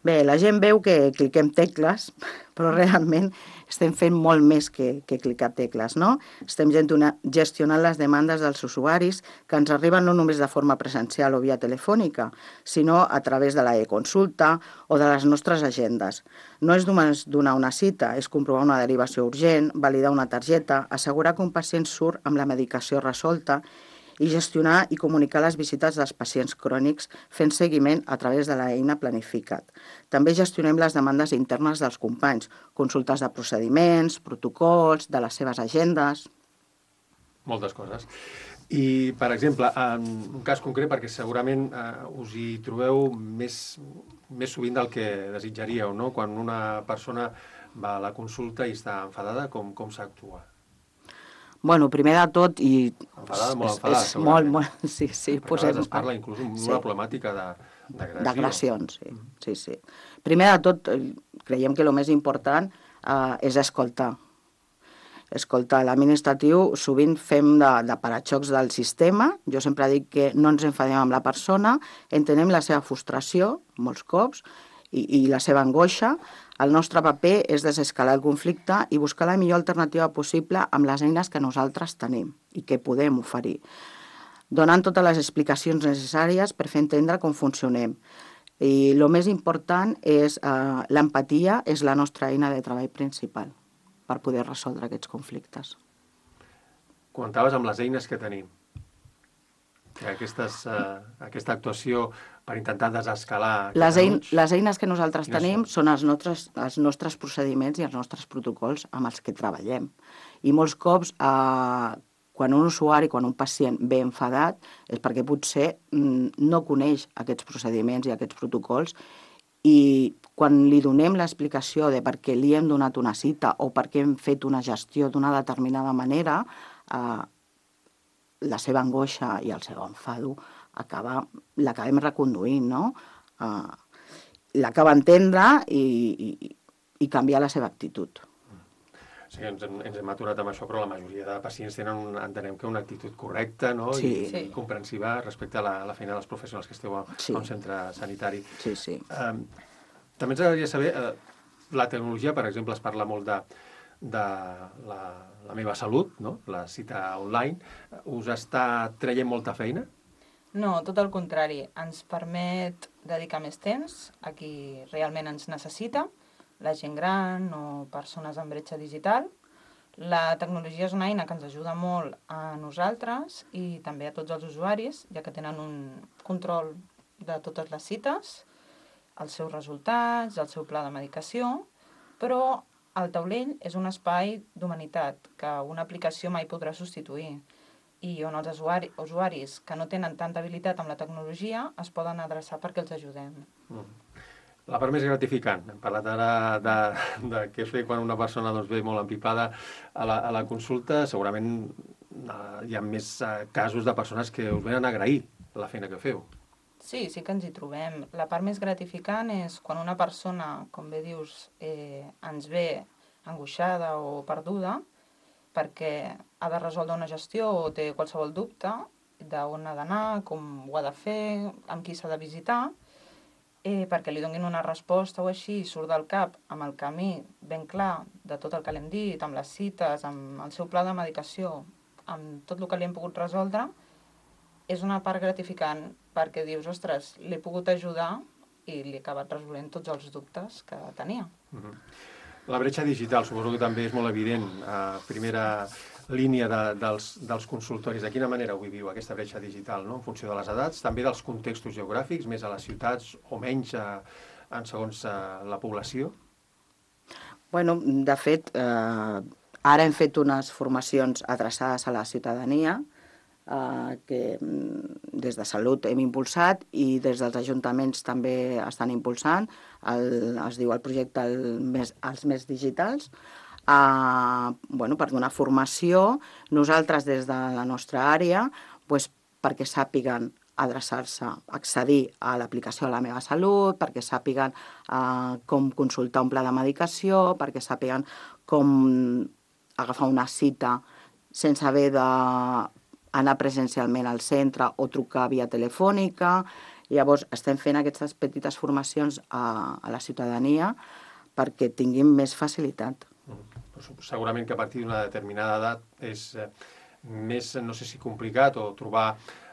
Bé, la gent veu que cliquem tecles, però realment estem fent molt més que, que clicar tecles, no? Estem gestionant les demandes dels usuaris que ens arriben no només de forma presencial o via telefònica, sinó a través de la e-consulta o de les nostres agendes. No és només donar una cita, és comprovar una derivació urgent, validar una targeta, assegurar que un pacient surt amb la medicació resolta i gestionar i comunicar les visites dels pacients crònics fent seguiment a través de l'eina Planificat. També gestionem les demandes internes dels companys, consultes de procediments, protocols, de les seves agendes... Moltes coses. I, per exemple, en un cas concret, perquè segurament eh, us hi trobeu més, més sovint del que desitjaríeu, no? Quan una persona va a la consulta i està enfadada, com, com s'actua? Bueno, primer de tot, i... Enfadada, molt enfadada, és, és molt, molt, sí, sí. Perquè Posem... es parla inclús d'una sí. problemàtica d'agressió. D'agressions, sí, sí, sí. Primer de tot, creiem que el més important eh, és escoltar. Escoltar l'administratiu, sovint fem de, de paraxocs del sistema. Jo sempre dic que no ens enfadem amb la persona, entenem la seva frustració, molts cops, i, i la seva angoixa. El nostre paper és desescalar el conflicte i buscar la millor alternativa possible amb les eines que nosaltres tenim i que podem oferir, donant totes les explicacions necessàries per fer entendre com funcionem. I el més important és eh, l'empatia, és la nostra eina de treball principal per poder resoldre aquests conflictes. Comentaves amb les eines que tenim. Que aquestes, eh, aquesta actuació per intentar desescalar... Les, ein, les eines que nosaltres tenim són, són els, nostres, els nostres procediments i els nostres protocols amb els que treballem. I molts cops, eh, quan un usuari, quan un pacient ve enfadat, és perquè potser mm, no coneix aquests procediments i aquests protocols i quan li donem l'explicació de per què li hem donat una cita o per què hem fet una gestió d'una determinada manera, eh, la seva angoixa i el seu enfado acaba, l'acabem reconduint, no? Uh, l'acaba entendre i, i, i canviar la seva actitud. Sí, ens hem, ens hem aturat amb això, però la majoria de pacients tenen, un, entenem que una actitud correcta, no? Sí. I, Sí. i comprensiva respecte a la, la feina dels professionals que esteu a, Sí. a un centre sanitari. Sí, sí. Um, també ens agradaria saber, uh, la tecnologia, per exemple, es parla molt de de la, la meva salut, no? La cita online, us està traient molta feina? No, tot el contrari. Ens permet dedicar més temps a qui realment ens necessita, la gent gran o persones amb bretxa digital. La tecnologia és una eina que ens ajuda molt a nosaltres i també a tots els usuaris, ja que tenen un control de totes les cites, els seus resultats, el seu pla de medicació, però el taulell és un espai d'humanitat que una aplicació mai podrà substituir i on els usuari, usuaris que no tenen tanta habilitat amb la tecnologia es poden adreçar perquè els ajudem. Mm. La part més gratificant. Hem parlat ara de, de què fer quan una persona doncs, ve molt empipada a la, a la consulta. Segurament uh, hi ha més uh, casos de persones que us venen a agrair la feina que feu. Sí, sí que ens hi trobem. La part més gratificant és quan una persona, com bé dius, eh, ens ve angoixada o perduda perquè ha de resoldre una gestió o té qualsevol dubte d'on ha d'anar, com ho ha de fer, amb qui s'ha de visitar, eh, perquè li donin una resposta o així, surt del cap amb el camí ben clar de tot el que l'hem dit, amb les cites, amb el seu pla de medicació, amb tot el que li hem pogut resoldre, és una part gratificant perquè dius, ostres, l'he pogut ajudar i li he acabat resolent tots els dubtes que tenia. Mm-hmm. La bretxa digital suposo que també és molt evident a primera línia de, dels, dels consultoris. De quina manera ho viviu, aquesta bretxa digital, no? En funció de les edats, també dels contextos geogràfics, més a les ciutats o menys a, en segons a la població? Bueno, de fet, eh, ara hem fet unes formacions adreçades a la ciutadania, eh, que des de Salut hem impulsat i des dels ajuntaments també estan impulsant, el, es diu el projecte el més, els més digitals, eh, bueno, per donar formació, nosaltres des de la nostra àrea, pues, perquè sàpiguen adreçar-se, accedir a l'aplicació de La meva Salut, perquè sàpiguen eh, com consultar un pla de medicació, perquè sàpiguen com agafar una cita sense haver d'anar presencialment al centre o trucar via telefònica. Llavors, estem fent aquestes petites formacions a, a la ciutadania perquè tinguin més facilitat. Mm. Segurament que a partir d'una determinada edat és eh, més, no sé si complicat, o trobar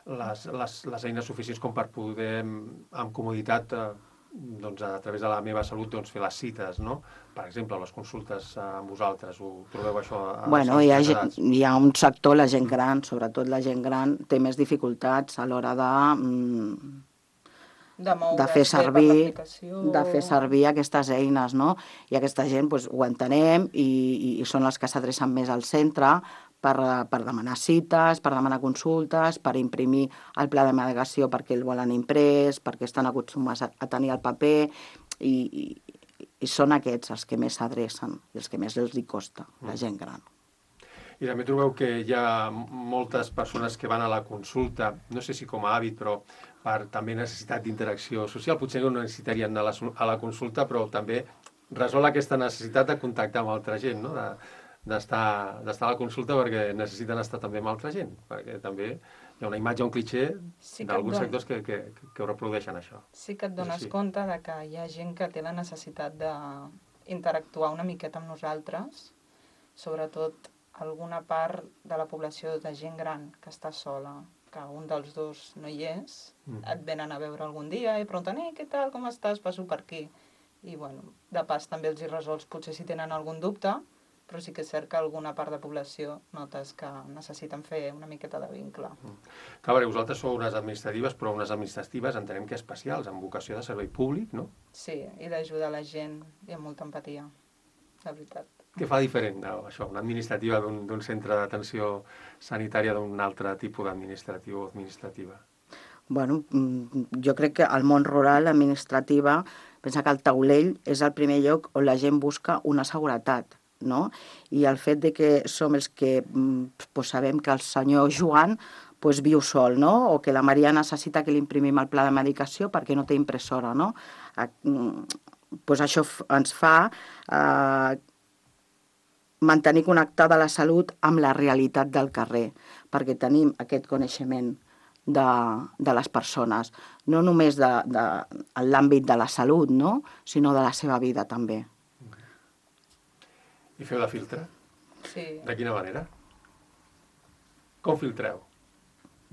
les, les, les eines suficients com per poder, amb comoditat, eh, doncs, a través de La meva Salut, doncs, fer les cites, no? Per exemple, les consultes amb vosaltres, ho trobeu això? A bueno, hi ha, gent, hi ha un sector, la gent gran, sobretot la gent gran, té més dificultats a l'hora de... Mm, de, de fer servir de fer servir aquestes eines, no? I aquesta gent pues, ho entenem i, i, i són les que s'adrecen més al centre per, per demanar cites, per demanar consultes, per imprimir el pla de medicació perquè el volen imprès, perquè estan acostumats a, a tenir el paper i, i, i són aquests els que més s'adrecen i els que més els hi costa, la gent gran. I també trobeu que hi ha moltes persones que van a la consulta, no sé si com a hàbit, però per també necessitat d'interacció social. Potser no necessitarien anar a la, a la consulta, però també resol aquesta necessitat de contactar amb altra gent, no? d'estar d'estar a la consulta perquè necessiten estar també amb altra gent, perquè també hi ha una imatge, un clitxer sí d'alguns don... sectors que, que, que ho reprodueixen, això. Sí que et dones sí. compte de que hi ha gent que té la necessitat d'interactuar una miqueta amb nosaltres, sobretot alguna part de la població de gent gran que està sola, que un dels dos no hi és, mm. et venen a veure algun dia i pregunten, eh, què tal, com estàs, passo per aquí. I, bueno, de pas també els hi resols, potser si tenen algun dubte, però sí que és cert que alguna part de població notes que necessiten fer una miqueta de vincle. Mm. Clar, perquè vosaltres sou unes administratives, però unes administratives entenem que especials, amb vocació de servei públic, no? Sí, i d'ajudar la gent i amb molta empatia, la veritat. Què fa diferent, no, això, una administrativa d'un centre d'atenció sanitària d'un altre tipus d'administratiu o administrativa? Bueno, jo crec que al món rural, l'administrativa, pensa que el taulell és el primer lloc on la gent busca una seguretat, no? I el fet de que som els que pues, sabem que el senyor Joan pues, viu sol, no? O que la Maria necessita que li imprimim el pla de medicació perquè no té impressora, no? Pues això ens fa eh, mantenir connectada la salut amb la realitat del carrer, perquè tenim aquest coneixement de, de les persones, no només de, de, en l'àmbit de la salut, no? Sinó de la seva vida també. I feu de filtre? Sí. De quina manera? Com filtreu?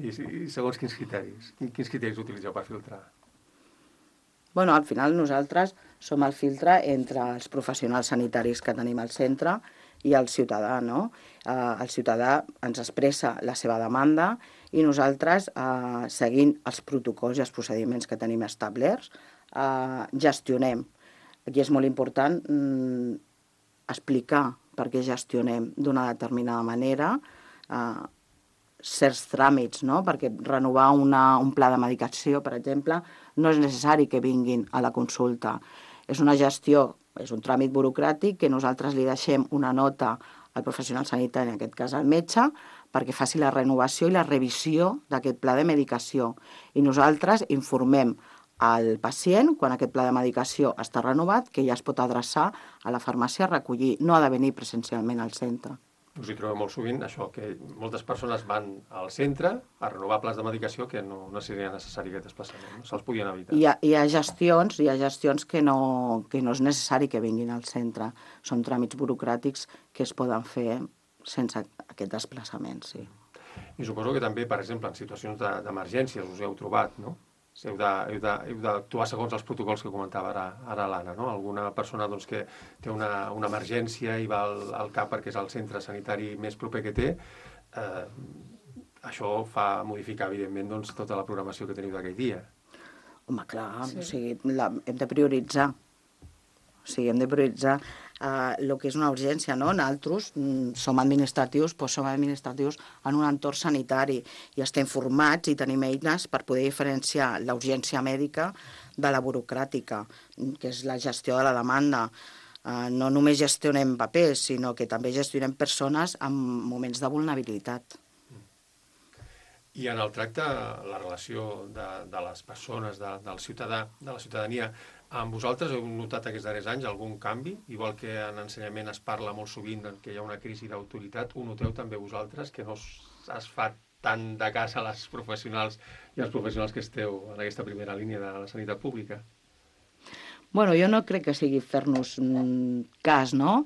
I, i segons quins criteris? Quins criteris utilitzeu per filtrar? Bueno, al final nosaltres som el filtre entre els professionals sanitaris que tenim al centre i el ciutadà, no? Eh, el ciutadà ens expressa la seva demanda i nosaltres, eh, seguint els protocols i els procediments que tenim establerts, eh, gestionem. Aquí és molt important mm, explicar per què gestionem d'una determinada manera eh, certs tràmits, no? Perquè renovar una, un pla de medicació, per exemple, no és necessari que vinguin a la consulta. És una gestió, és un tràmit burocràtic que nosaltres li deixem una nota al professional sanitari, en aquest cas al metge, perquè faci la renovació i la revisió d'aquest pla de medicació. I nosaltres informem al pacient, quan aquest pla de medicació està renovat, que ja es pot adreçar a la farmàcia a recollir. No ha de venir presencialment al centre. Us hi trobeu molt sovint, això, que moltes persones van al centre a renovar plans de medicació que no, no seria necessari aquest desplaçament, no? Se'ls podien evitar. Hi ha, hi ha gestions, hi ha gestions que, no, que no és necessari que vinguin al centre. Són tràmits burocràtics que es poden fer sense aquest desplaçament, sí. I suposo que també, per exemple, en situacions de, d'emergències us heu trobat, no? Heu d'actuar segons els protocols que comentava ara, ara l'Anna, no? Alguna persona doncs, que té una, una emergència i va al, al C A P perquè és el centre sanitari més proper que té, eh, això fa modificar, evidentment, doncs, tota la programació que teniu d'aquell dia. Home, clar, sí. O sigui, la, hem de prioritzar. O sigui, hem de prioritzar el uh, que és una urgència, no? Nosaltres mm, som administratius, però som administratius en un entorn sanitari i estem formats i tenim eines per poder diferenciar la urgència mèdica de la burocràtica, que és la gestió de la demanda. Uh, no només gestionem papers, sinó que també gestionem persones en moments de vulnerabilitat. I en el tracte, la relació de, de les persones, de, del ciutadà, de la ciutadania, amb vosaltres heu notat aquests darrers anys algun canvi? Igual que en ensenyament es parla molt sovint que hi ha una crisi d'autoritat, ho noteu també vosaltres, que no es, es fa tant de cas a les professionals i als professionals que esteu en aquesta primera línia de la sanitat pública? Bueno, jo no crec que sigui fer-nos cas, no?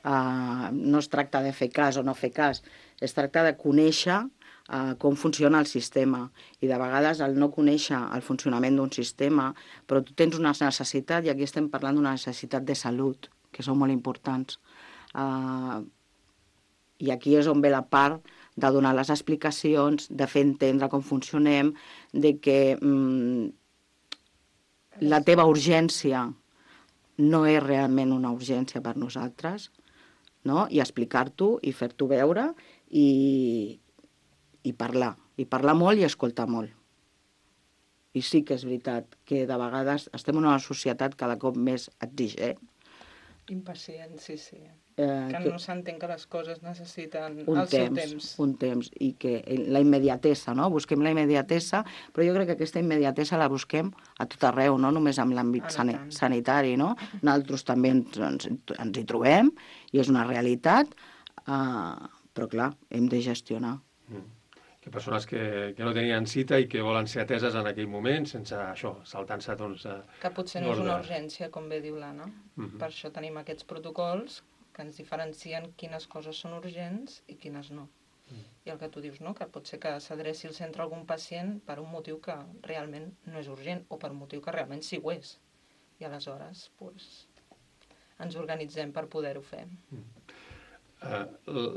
Uh, no es tracta de fer cas o no fer cas, es tracta de conèixer Uh, com funciona el sistema. I de vegades el no conèixer el funcionament d'un sistema, però tu tens una necessitat, i aquí estem parlant d'una necessitat de salut, que són molt importants. Uh, I aquí és on ve la part de donar les explicacions, de fer entendre com funcionem, de que um, la teva urgència no és realment una urgència per nosaltres, no? I explicar-t'ho i fer-t'ho veure i i parlar, i parlar molt i escoltar molt. I sí que és veritat que de vegades estem en una societat cada cop més exigent. Impacient, sí, sí. Eh, que, que no s'entén que les coses necessiten el temps, seu temps. Un temps, i que la immediatesa, no? Busquem la immediatesa, però jo crec que aquesta immediatesa la busquem a tot arreu, no només en l'àmbit sani sanitari, no? Nosaltres també ens, ens, ens hi trobem, i és una realitat, eh, però clar, hem de gestionar. Mm. Que persones que, que no tenien cita i que volen ser ateses en aquell moment, sense això, saltant-se, doncs... Que potser no és una urgència, com bé diu l'Anna. Mm-hmm. Per això tenim aquests protocols que ens diferencien quines coses són urgents i quines no. Mm. I el que tu dius, no?, que pot ser que s'adreci al centre algun pacient per un motiu que realment no és urgent o per un motiu que realment sí ho és. I aleshores, doncs, ens organitzem per poder-ho fer. Mm. Uh,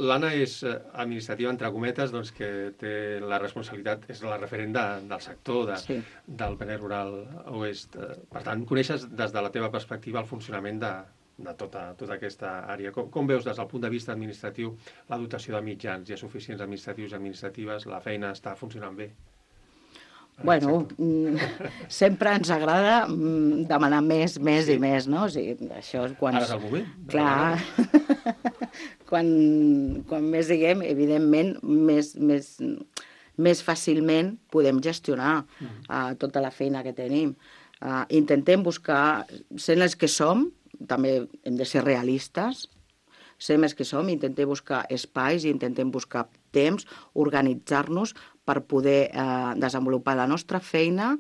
L'Anna és uh, administrativa, entre cometes, doncs, que té la responsabilitat, és la referent de, del sector de, sí. del Penedès Rural Oest. Uh, per tant, coneixes des de la teva perspectiva el funcionament de, de tota, tota aquesta àrea. Com, com veus des del punt de vista administratiu la dotació de mitjans? Hi ha suficients administratius i administratives? La feina està funcionant bé? Bueno, sempre ens agrada demanar més, més sí. i més, no? O sigui, això és quan... Ara és el moment. Clar, quan, quan més diguem, evidentment, més, més, més fàcilment podem gestionar uh, tota la feina que tenim. Uh, intentem buscar, sent els que som, també hem de ser realistes, sent els que som, intentem buscar espais i intentem buscar temps, organitzar-nos per poder eh, desenvolupar la nostra feina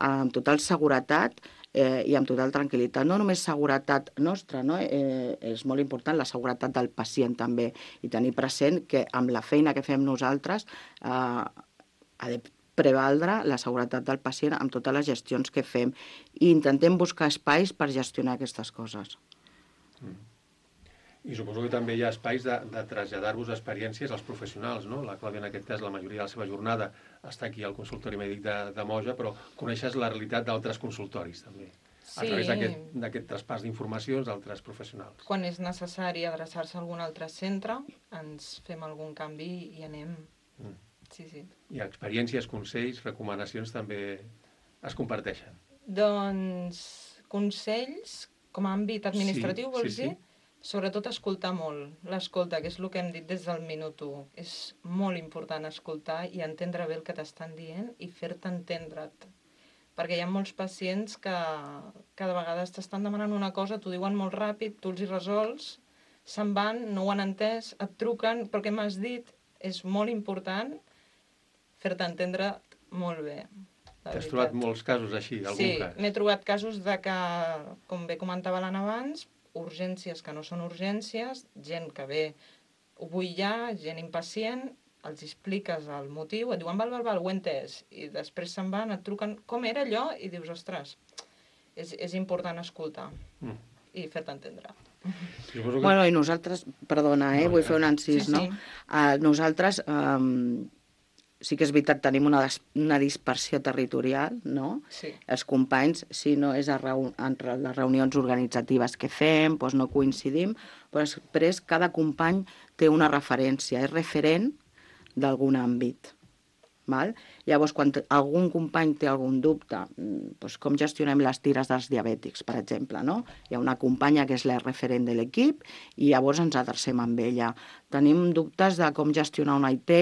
amb total seguretat eh, i amb total tranquil·litat. No només seguretat nostra, no? eh, és molt important la seguretat del pacient també, i tenir present que amb la feina que fem nosaltres eh, ha de prevaldre la seguretat del pacient amb totes les gestions que fem, i intentem buscar espais per gestionar aquestes coses. Mm. I suposo que també hi ha espais de, de traslladar-vos experiències als professionals, no? La Clàudia, en aquest cas, la majoria de la seva jornada està aquí al consultori mèdic de, de Moja, però coneixes la realitat d'altres consultoris, també, sí. A través d'aquest traspàs d'informacions d'altres professionals. Quan és necessari adreçar-se a algun altre centre, ens fem algun canvi i anem. Mm. Sí, sí. I experiències, consells, recomanacions també es comparteixen? Doncs consells, com a àmbit administratiu, sí, vols sí, dir? Sí. Sobretot escoltar molt, l'escolta, que és el que hem dit des del minut u. És molt important escoltar i entendre bé el que t'estan dient i fer-te entendre't. Perquè hi ha molts pacients que cada vegada t'estan demanant una cosa, t'ho diuen molt ràpid, tu els hi resols, se'n van, no ho han entès, et truquen, però què m'has dit? És molt important fer-te entendre molt bé. T'has trobat molts casos així, algun sí, cas? Sí, m'he trobat casos de que, com bé comentava l'Anna abans, urgències que no són urgències, gent que ve, ho vull ja, gent impacient, els expliques el motiu, et diuen val, val, val, ho he entès, i després se'n van, et truquen, com era allò? I dius, ostres, és, és important escoltar mm. i fer-te entendre. Que... Bueno, i nosaltres, perdona, eh, no, vull ja. fer un encís, sí, no? Sí. Uh, nosaltres... Um... Sí que és veritat, tenim una, des, una dispersió territorial, no? Sí. Els companys, si no és a reu, en les reunions organitzatives que fem, doncs no coincidim, però després cada company té una referència, és referent d'algun àmbit. Val? Llavors, quan algun company té algun dubte, doncs com gestionem les tires dels diabètics, per exemple, no? Hi ha una companya que és la referent de l'equip i llavors ens adrecem amb ella. Tenim dubtes de com gestionar una I T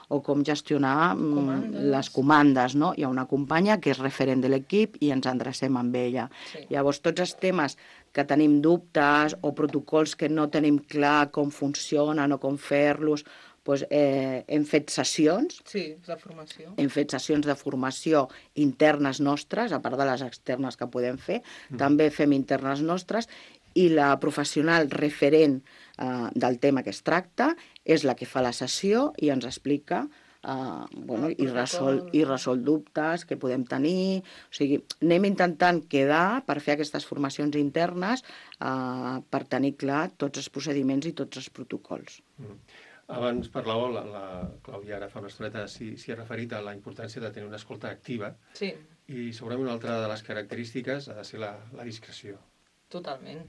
o com gestionar comandes. les comandes, no? Hi ha una companya que és referent de l'equip i ens adrecem amb ella. Sí. Llavors, tots els temes que tenim dubtes o protocols que no tenim clar com funcionen o com fer-los, doncs, eh, hem fet sessions. Sí, de formació. Hem fet sessions de formació internes nostres, a part de les externes que podem fer, mm. també fem internes nostres, i la professional referent eh, del tema que es tracta és la que fa la sessió i ens explica eh, bueno, i, resol, i resol dubtes que podem tenir. O sigui, anem intentant quedar per fer aquestes formacions internes eh, per tenir clar tots els procediments i tots els protocols. Mm. Abans parlàveu, la, la Clàudia ara fa una estoneta s'hi ha referit a la importància de tenir una escolta activa. Sí. I segurament una altra de les característiques ha de ser la, la discreció. Totalment,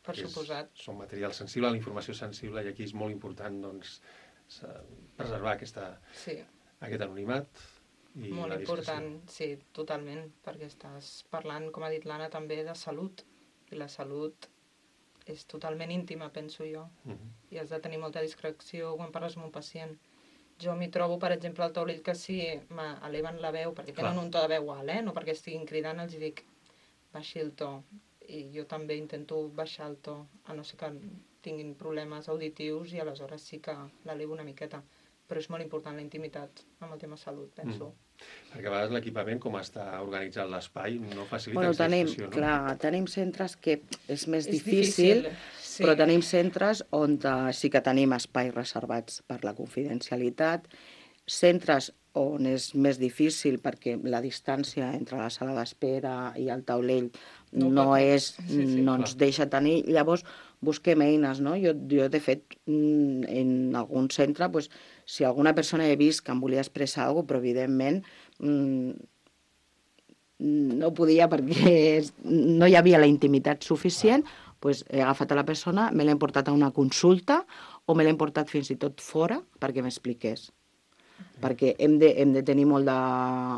per és, suposat. Són material sensible, la informació sensible, i aquí és molt important doncs, preservar aquesta, sí. aquest anonimat i molt la discreció. Molt important, sí, totalment, perquè estàs parlant, com ha dit l'Anna, també de salut, i la salut és totalment íntima, penso jo, uh-huh. i has de tenir molta discreció quan parles amb un pacient. Jo m'hi trobo, per exemple, al taulell que sí m'eleven la veu, perquè tenen Clar. un to de veu alt, eh? No perquè estiguin cridant, els dic, baixi el to. I jo també intento baixar el to, a no ser que tinguin problemes auditius, i aleshores sí que l'elevo una miqueta. Però és molt important la intimitat amb el tema salut, penso. Mm. Perquè a vegades l'equipament, com està organitzat l'espai, no facilita bueno, aquesta tenim, discussió, no? Clar, tenim centres que és més és difícil, difícil sí. però tenim centres on sí que tenim espais reservats per la confidencialitat, centres on és més difícil perquè la distància entre la sala d'espera i el taulell no, no, és, sí, sí, no ens deixa tenir. Llavors, busquem eines, no? Jo, jo de fet, en algun centre, pues, si alguna persona he vist que em volia expressar alguna cosa, però evidentment no podia perquè no hi havia la intimitat suficient, pues, he agafat a la persona, me l'he portat a una consulta o me l'he portat fins i tot fora perquè m'expliqués. Perquè hem de, hem de tenir molt de,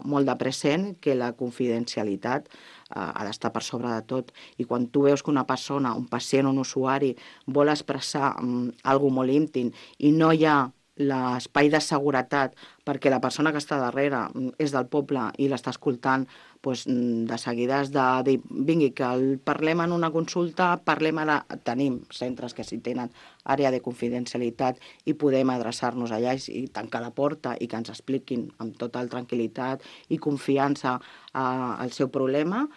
molt de present que la confidencialitat eh, ha d'estar per sobre de tot. I quan tu veus que una persona, un pacient o un usuari vol expressar um, alguna molt íntim i no hi ha l'espai de seguretat perquè la persona que està darrere és del poble i l'està escoltant, doncs, de seguida has de dir, vingui, que el parlem en una consulta, parlem ara... Tenim centres que sí tenen àrea de confidencialitat i podem adreçar-nos allà i tancar la porta i que ens expliquin amb total tranquil·litat i confiança eh, el seu problema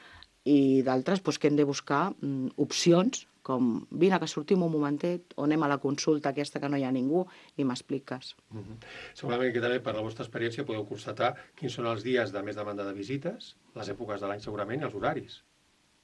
i d'altres doncs, que hem de buscar mm, opcions, com vine que sortim un momentet o anem a la consulta aquesta que no hi ha ningú i m'expliques. Mm -hmm. Segurament que també per la vostra experiència podeu constatar quins són els dies de més demanda de visites, les èpoques de l'any segurament i els horaris.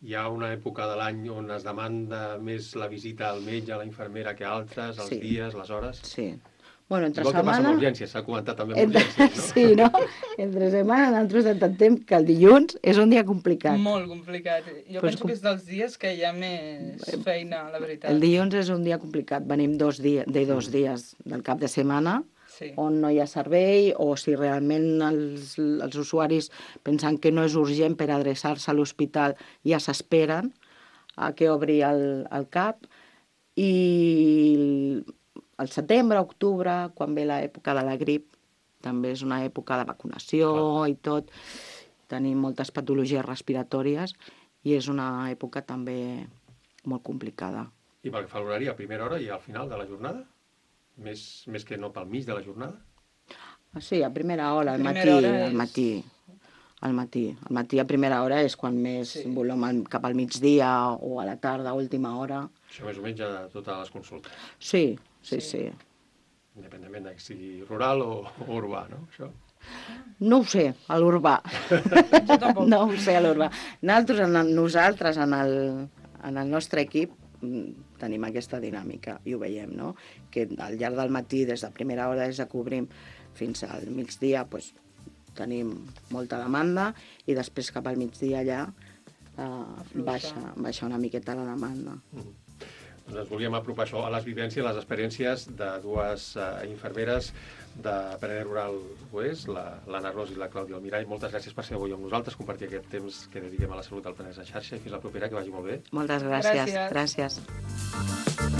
Hi ha una època de l'any on es demanda més la visita al metge, a la infermera que altres, els Sí. dies, les hores? Sí. Bueno, entre Igual setmana... que passa amb urgències, s'ha comentat també amb Entre... urgències, no? Sí, no? Entre setmana nosaltres intentem que el dilluns és un dia complicat. Molt complicat. Jo Pues penso com- que és dels dies que hi ha més feina, la veritat. El dilluns és un dia complicat. Venim dos dies, de dos dies del cap de setmana, Sí. on no hi ha servei, o si realment els, els usuaris pensen que no és urgent per adreçar-se a l'hospital, ja s'esperen a que obri el, el cap. I al setembre, octubre, quan ve l'època de la grip, també és una època de vacunació Clar. i tot. Tenim moltes patologies respiratòries i és una època també molt complicada. I pel que fa a l'horari, a primera hora i al final de la jornada? Més, més que no pel mig de la jornada? Sí, a primera hora, al matí, Primera hora al és- matí. Al matí. Al matí a primera hora és quan més sí. volem al- cap al migdia o a la tarda, a última hora. Això més o menys a totes les consultes. Sí, sí, sí. sí. Independentment de que sigui rural o, o urbà, no? Això. No ho sé, a l'urbà. Jo tampoc. No ho sé, a l'urbà. Nosaltres, en el, nosaltres en, el, en el nostre equip, mm, tenim aquesta dinàmica i ho veiem, no? Que al llarg del matí, des de primera hora, des de que obrim fins al migdia, doncs, tenim molta demanda i després cap al migdia ja eh, baixa, baixa una miqueta la demanda. Mm. Doncs ens volíem apropar això a les vivències, les experiències de dues uh, infermeres de Penedès Rural Oest, l'Anna Ros i la Clàudia Almirall. Moltes gràcies per ser avui amb nosaltres, compartir aquest temps que dediquem a la salut del Penedès en xarxa i fins la propera, que vagi molt bé. Moltes gràcies. Gràcies. gràcies.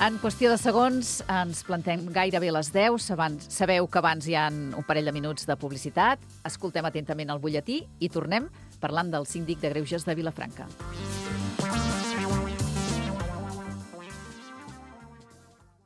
En qüestió de segons, ens plantem gairebé a les deu. Abans, sabeu que abans hi ha un parell de minuts de publicitat. Escoltem atentament el butlletí i tornem parlant del síndic de Greuges de Vilafranca.